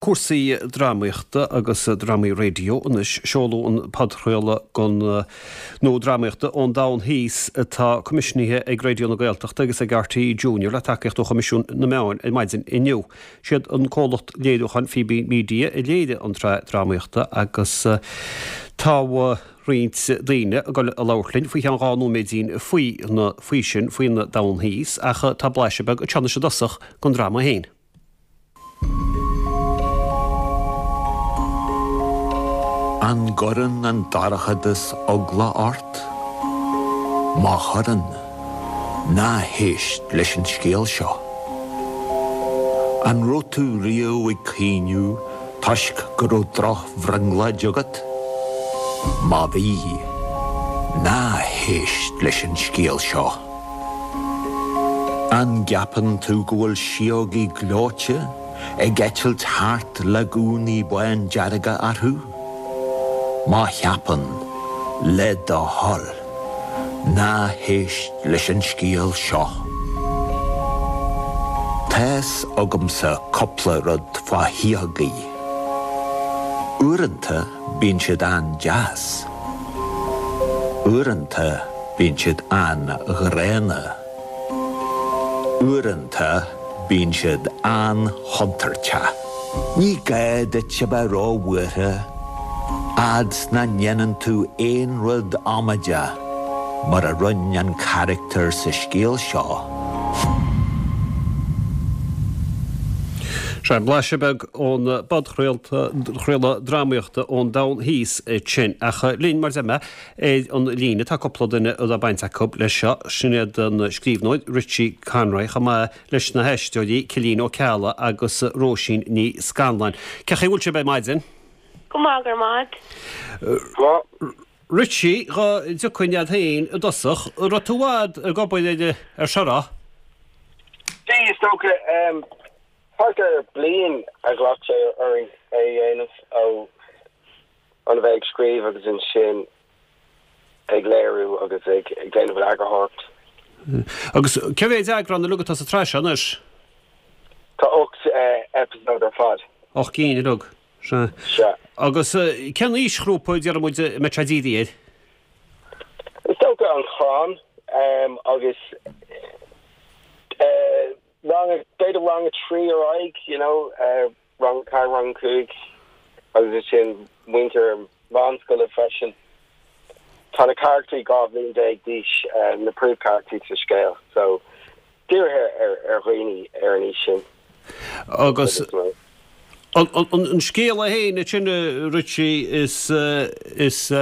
Cúrsaí drámaíochta agus drámaí raidió anois. Seoladh an podchraoladh den nó drámaíochta ón Domhan Thíos atá coimisiúnaithe ag Raidió na Gaeltachta agus ag RTÉ Junior le tacaíocht ó Choimisiún na Meán ar maidin inniu. Siad an comhlacht léiriúcháin Fíbín Media a léirigh an tsraith drámaíochta agus tá roinnt daoine ag dul a labhairt linn faoi cheann 2 nóiméidín faoi na faoi sin, faoin Domhan Thíos ach tá blaiseadh beag anseo anois i dtosach den dráma féin. An gcuireann an dorchadas eagla ort? Má chuireann, ná héist leis an scéal seo. An raibh tú riamh ag caoineadh toisc go raibh drochbhrionglóid agat? Má bhí, ná héist leis an scéal seo. An gceapann tú go bhfuil síógaí gleoite ag eitilt thart le gúnaí bándearga orthu? Má cheapann, le do thoil, ná héist leis an scéal seo. Tá's agamsa cúpla rud fá shíógaí. Uaireanta bíonn siad an-deas. Uaireanta bíonn siad an-ghránna. Uaireanta bíonn siad an-chontúirteach. Ní gá duit a bheith ró-bhuartha fhad 's nach ndéanann tú aon rud amaideach mar a rinne an carachtar sa scéal seo. Sea, blaiseadh beag ón bpodchraoladh drámaíochta ón Domhan Thíos ansin. Ach linn, mar a deir mé, ar an líne tá cúpla duine a raibh baint acu leis seo, sin iad an scríbhneoir Richie Conroy chomh maith leis na haisteoirí Cillian Ó Ceallaigh agus Róisín Ní Scanláin. Cén chaoi a bhfuil sibh ar maidin? Go maith, go raibh maith agat. Richie, dhá dtiocfainn a'd féin i dtosach, an raibh tú i bhfad ag obair ar ar seo, raibh? Bhí, is dócha. Thart ar bliain a ghlac sé orainn é a dhéanamh, ó an a bheith ag scríobh agus ansin ag léiriú agus ag déanamh an eagarthóireacht. Agus cé mhéid eagrán uilig atá sa tsraith seo anois? Tá 8 eipeasóid ar fad. 8 gcinn uilig, sea. Sea. Agus cén aoisghrúpa, déarfaidh muid, a mbeidh sé dírithe air? Is dócha an chlann agus rang, b'fhéidir rang 3 ar aghaidh, you know. Rang 4, Rang 5 agus ansin muintir meánscoile freisin. Tá na carachtraí 12 bhliain d'aois, na príomhcharachtraí sa scéal, so dírithe ar dhaoine ar an aois sin. Agus an scéal é féin ansin, Richie, is is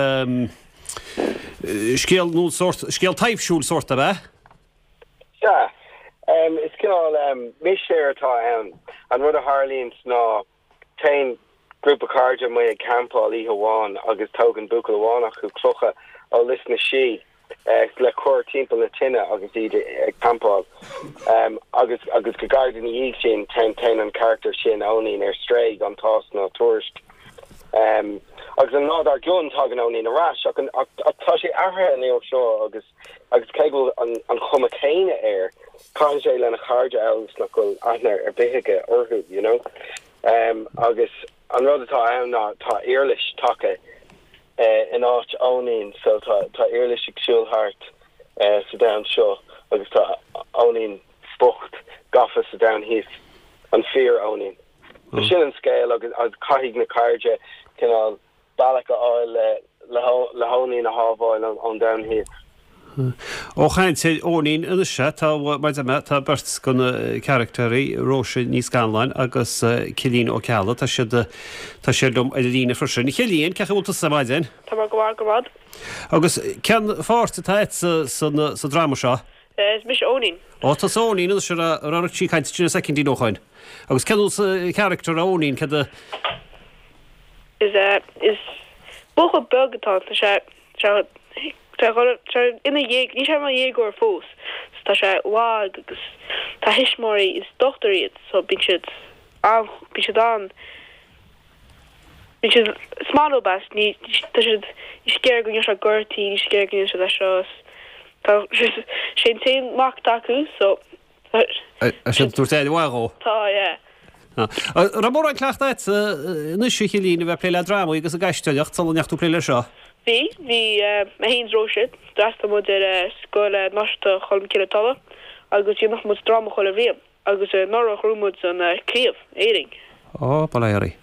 scéal nó sórt, scéal taibhsiúil sórt ab ea? Sea. Is cineál mistéir atá ann. An rud a tharlaíonns ná téann grúpa cairde amuigh ag campáil oíche amháin agus tógann buachaill amháin acu clocha ó lios na sí le cur timpeall na tine agus iad ag campáil. Agus agus go gairid ina dhiaidh sin téann téann an carachtar sin, Eoinín, ar strae gan tásc ná tuairisc. Agus an lá dár gcionn tagann Eoinín ar ais ach ach tá sé athraithe an uair seo agus Agus cé go bhfuil an chuma chéanna air, caitheann sé lena chairde amhail is nach bhfuil aithne ar bith aige orthu, you know. Agus an rud atá ann ná tá iarlais tagtha in áit Eoinín, so tá tá iarlais ag siúl thart sa domhan seo agus tá Eoinín bocht gafa sa domhan thíos, an fíor-Eoinín. So sin an scéal agus caithfidh na cairde cineál bealach a fháil le hEoinín a shábháil ón domhan thíos. Ó chaint ar Eoinín anois, sea, tá, mar a deir mé, tá beirt de na caractéirí, Róise Ní Scanláin agus Cillian Ó Ceallaigh, tá siad, tá siad liom ar an líne freisin. A Chillian, cén chaoi a bhfuil tusa ar maidin? Tá mé go maith, go raibh maith agat. Agus cén pháirt atá agat sa, sa dráma seo? Is mise Eoinín. Ó, tusa Eoinín anois, a raibh, a raibh Richie ag caint ansin soicindín ó shoin. Agus cén character é Eoinín, céard a. Is is buachaill beag atá ann. Tá sé tá sé tá sé ina dhéag níl sé ina dhéagóir fós. So tá sé lag agus tá a thuismitheoirí is dochtúir iad so bíonn siad an bíonn siad an bíonn siad is maith leo as ní tá siad níl siad ag iarraidh go ndéanfaidh sé gortaí níl siad ag iarraidh go ndéanfaidh sé é seo is tá sé an t-aon mac atá acu so Tá siad ag tabhairt aire mhaith dhó. Tá, yeah. An raibh mórán cleachta agat anois, a Chillín, a bheith ag plé le drámaí agus ag aisteoireacht sula ndeachaigh tú ag plé leis seo? Bhí, bhí mé féin is Róise, d'fhreastail muid ar Scoil Náisiúnta Cholmcille Tulla agus dhéanadh muid dráma chuile bhliain agus anuraidh ghnóthaigh muid an craobh, Éirinn. Ó, bail ó Dhia oraibh.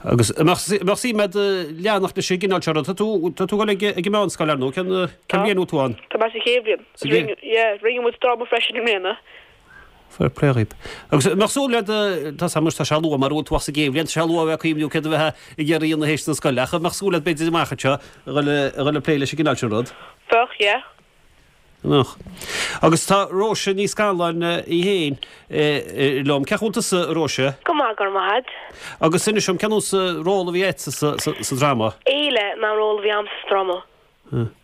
Agus an mbeadh suim agat leanacht leis an gcineál seo ruda? Tá tú, tá tú ag dul ag an meánscoil ar ndóigh, cén, cén bhliain a bhfuil tú ann? Tá mé sa chéad bhliain. Sa gcéad? Yeah, rinne muid dráma freisin i mbliana. Fair play dhaoib. Agus an mbeadh súil agat, tá 's agam anois tá sé luath mar a bhfuil tú ach sa gcéad bhliain, tá sé luath a bheith ag cuimhniú céard a bheifeá ag iarraidh a dhéanamh théis na scoile, ach an mbeadh súil agat b'fhéidir amach anseo a dhul, a dhul ag plé leis an gcineál sin rud? Bheadh, yeah. Nach. Agus tá Róise Ní Scanláin í féin liom. Cén chaoi a bhfuil tusa, a Róise? Go maith, go raibh maith agat. Agus inis dom, cén nós ról a bhí agatsa sa dráma? Éile ná an ról a bhí a'msa sa dráma.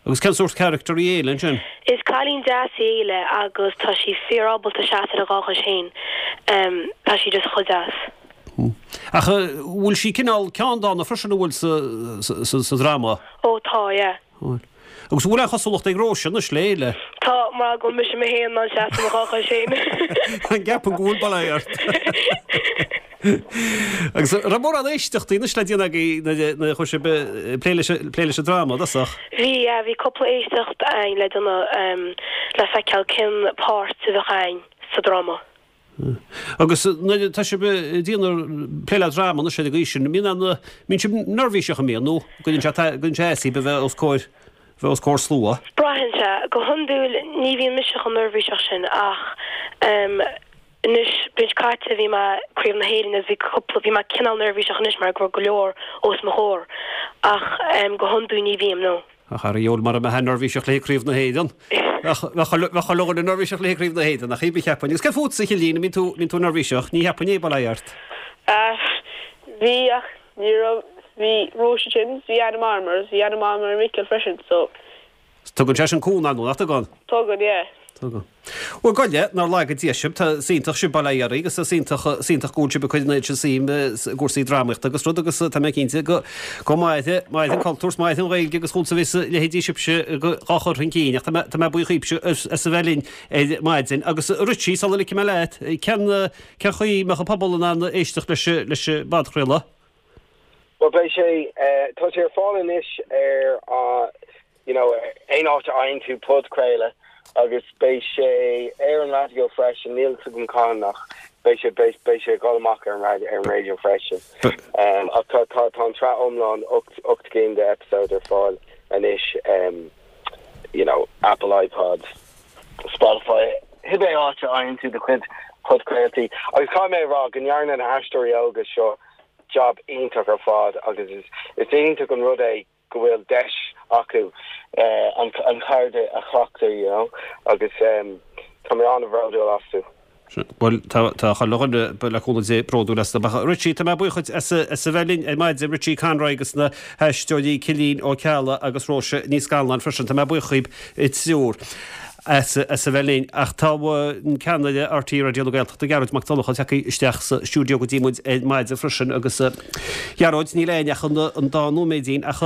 Agus cén sórt character í Éile ansin? Is cailín deas í Éile agus tá sí fíor ábalta seasamh ar a dhá chois féin. Tá sí just chomh deas. Ach bhfuil sí cineál ceanndána freisin, an bhfuil sa dráma? Ó tá, yeah. Bhfuil. Agus an bhfuil aon chosúlacht ag Róise anois le Éile? Tá, mar go bhfuil mise mé féin in ann seasamh ar mo dhá chois féin. An gceapann go bhfuil, bail ó Dhia ort. Agus an raibh mórán éisteachtaí anois le déanamh agaibh nuair a chuaigh sibh ag plé leis plé leis an dráma i dtosach? Bhí, yeah, bhí cúpla éisteacht a'ainn le déanamh le feiceáil cén páirt a bheadh a'ainn sa dráma. Agus nuair atá sibh ag déanamh plé le dráma anois ar an gcaoi sin, mbíonn aon, mbíonn sibh neirbhíseach an mbíonn nó gcuireann sé, gcuireann sé as daoibh a bheith os comhair, bheith os comhair slua? Braitheann sé. Go hiondúil ní bhíonn mise chomh neirbhíseach sin ach anois, bliain seo caite bhí mé Craobh na hÉireann agus bhí cúpla, bhí mé cineál neirbhíseach anois mar go raibh go leor os mo chomhair ach go hiondúil ní bhím, no. Ach ar a dheabhail mura mbeifeá neirbhíseach le Craobh na hÉireann. Bheadh chuile dhuine neirbhíseach le Craobh na Héireann, ach cibé cheapfainn. Agus céard fútsa, a Chillín, an mbíonn tú, mbíonn tú neirbhíseach? Ní cheapfainn é, bail ó Dhia ort. Bhí, ach ní raibh, bhí Róise ansin, bhí Anna Marmer, bhí Anna Marmer and Micil freisin, so. Tugann sé sin cúnamh, ar ndóigh, nach dtugann? Tugann, yeah. Tugann. Bhuel, gabh i leith, nár laga Dia sibh, tá, is iontach sibh, bail ó Dhia oraibh, agus is iontach, is iontach go bhfuil sibh ag cur an oiread sin suim i gcúrsaí drámaíochta agus rud agus tá mé cinnte go, go mairfidh, mairfidh an cultúr 's mairfidh an Ghaeilge agus chugamsa a bheas leithéidí sibhse dhá chur chun cinn ach tá mé, tá mé buíoch dhaoibhse as, as a bheith linn ar maidin. Agus a Richie, sula ligfidh mé leat, cén, cén chaoi a mbeadh an pobal in ann éisteacht leis, leis an bpodchraoladh? Bhuel, beidh sé, tá sé ar fáil anois ar you know, aon áit a fhaigheann tú podchraoladh agus beidh sé ar an raidió freisin, níl 'fhios agam cathain ach beidh sé, beidh, beidh sé ag dul amach ar an raidió, ar an raidió freisin. Um, ach tá, tá, tá an tsraith iomlán, 8, 8 gcinn de episode ar fáil anois, um, you know, Apple iPod, Spotify, cibé áit a fhaigheann tú do chuid podchraoltaí. Agus caithfidh mé a rá go ndearna na haisteoirí óga seo job iontach ar fad agus is, is iontach an rud é go bhfuil deis acu an cheird a chleachtadh, you know, agus tá mé an-bhródúil astu. Bhuel, tá tá chuile dhuine, le cúnamh Dé, bródúil astu. Ach Richie, tá mé buíoch duit as as a bheith linn ar maidin, Richie Conroy agus na haisteoirí Cillín Ó Ceallaigh agus Róise Ní Scanláin freisin. Tá mé buíoch dhaoib triúr as as a bheith linn. Ach tá an ceannaire RTÉ Raidió na Gaeltachta, Gearóid Mac Donncha, tagtha isteach sa stiúideo go dtí muid ar maidin freisin agus Ghearóid, níl againn ach an dá nóiméidín ach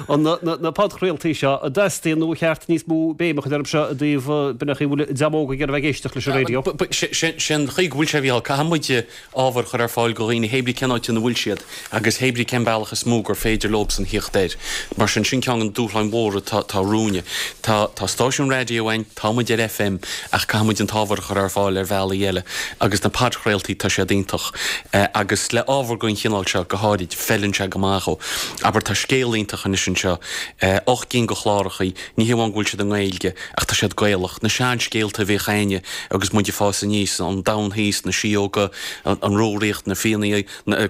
na podchraoltaí seo, an dteastaíonn nó ar cheart níos mó béim a chur orthu seo i dtaobh b'in é an chaoi a bhfuil an dream óg ag iarraidh a bheith ag éisteacht leis an raidió. Sin an chaoi go bhfuil sé, a Mhícheáil. Caithfidh muid ábhar a chur ar fáil go dhaoine, hé brí cén áit ina bhfuil siad agus hé brí cén bealach is mó gur féidir leobsan thíocht air. Mar sin, sin ceann de na dúshláin mhóra atá romhainne. Tá stáisiún raidió againn, tá muid ar FM, ach caithfidh muid an t-ábhar a chur ar fáil ar bhealaí eile agus na podchraoltaí, tá siad iontach. Agus le ábhar den chineál seo go háirid, feileann sé go maith dhó. Abair, tá scéal iontach anois anseo, 8 gcinn de chlárachaí, ní hé amháin go bhfuil siad i nGaeilge, ach tá siad Gaelach. Na seanscéalta a bhíodh a'inne agus muid ag fás aníos, an Domhan Thíos, na Síóga, an Rúraíocht, na Fianna,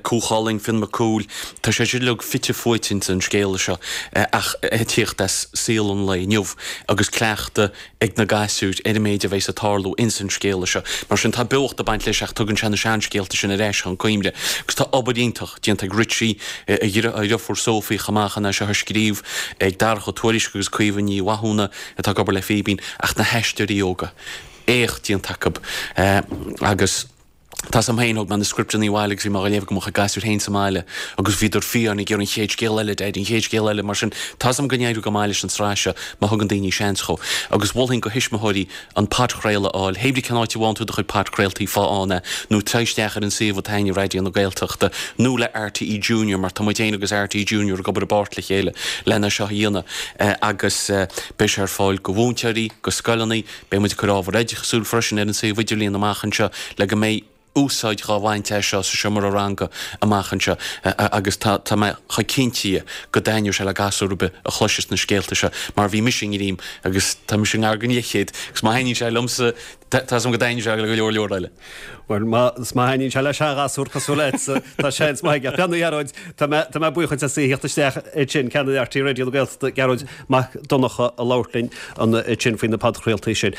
Cú Chulainn, Fionn Mac Cumhaill, tá sé sin uilig fite fuaite ins an scéal seo ach ag tíocht as saol an lae inniu agus cleachtadh ag na gasúir ar an méid a bheas ag tarlú ins an scéal seo. Mar sin tá beocht ag baint leis ach tugann sé na seanscéalta sin ar ais chun cuimhne. Agus tá obair iontach déanta ag Richie, a dheirfiúr Sophie chomh maith chun é seo a scríobh, ag Darach Ó Tuairisg agus Caoimhe Ní Mhathúna atá ag obair le Fíbín ach na haisteoirí óga, éacht déanta acu agus. Tá's a'm féin, thóg mé na scripteanna abhaile agus bhí mé á léamh go mo chuid gasúir féin sa mbaile agus bhíodar fiáin ag iarraidh an chéad scéal eile, Daddy, an chéad scéal eile, mar sin tá's a'm go n-éireoidh go maith leis an tsraith seo má thugann daoine seans dhó. Agus mholfainn go thuismitheoirí an podchraoladh a fháil, hé brí cén áit a bhfaigheann tú do chuid podchraoltaí faigh ann é, nó téigh isteach ar an suíomh atá ag Raidió na Gaeltachta nó le RTÉ Junior mar tá muid féin agus RTÉ Junior ag obair i bpáirt le chéile lena seo a dhéanamh agus beidh sé ar fáil go mhúinteoirí, go scoileanna, Beidh muid ag cur ábhar oideachasúil freisin ar an suíomh idirlíon amach anseo le go mbeidh úsáid dhá bhaint as seo sa seomra ranga amach anseo agus tá tá mé chomh cinnte go dtaitneoidh sé le gasúr ar bith a chloisfeas na scéalta seo mar bhí mise i ngreim agus tá mise i ngar don leathchéad agus má thaitníonn sé liomsa tá's agam go dtaitníonn sé le go leor leor eile. Bhuel, má thaitníonn sé le seanghasúr cosúil leatsa, tá seans maith aige. Beannaí a Ghearóid, tá mé, tá mé buíoch duit as a thíocht isteach ansin, Ceannaire RTÉ Raidió na Gaeltachta, Gearóid Mac Donncha a labhairt linn ansin faoi na podchraoltaí sin.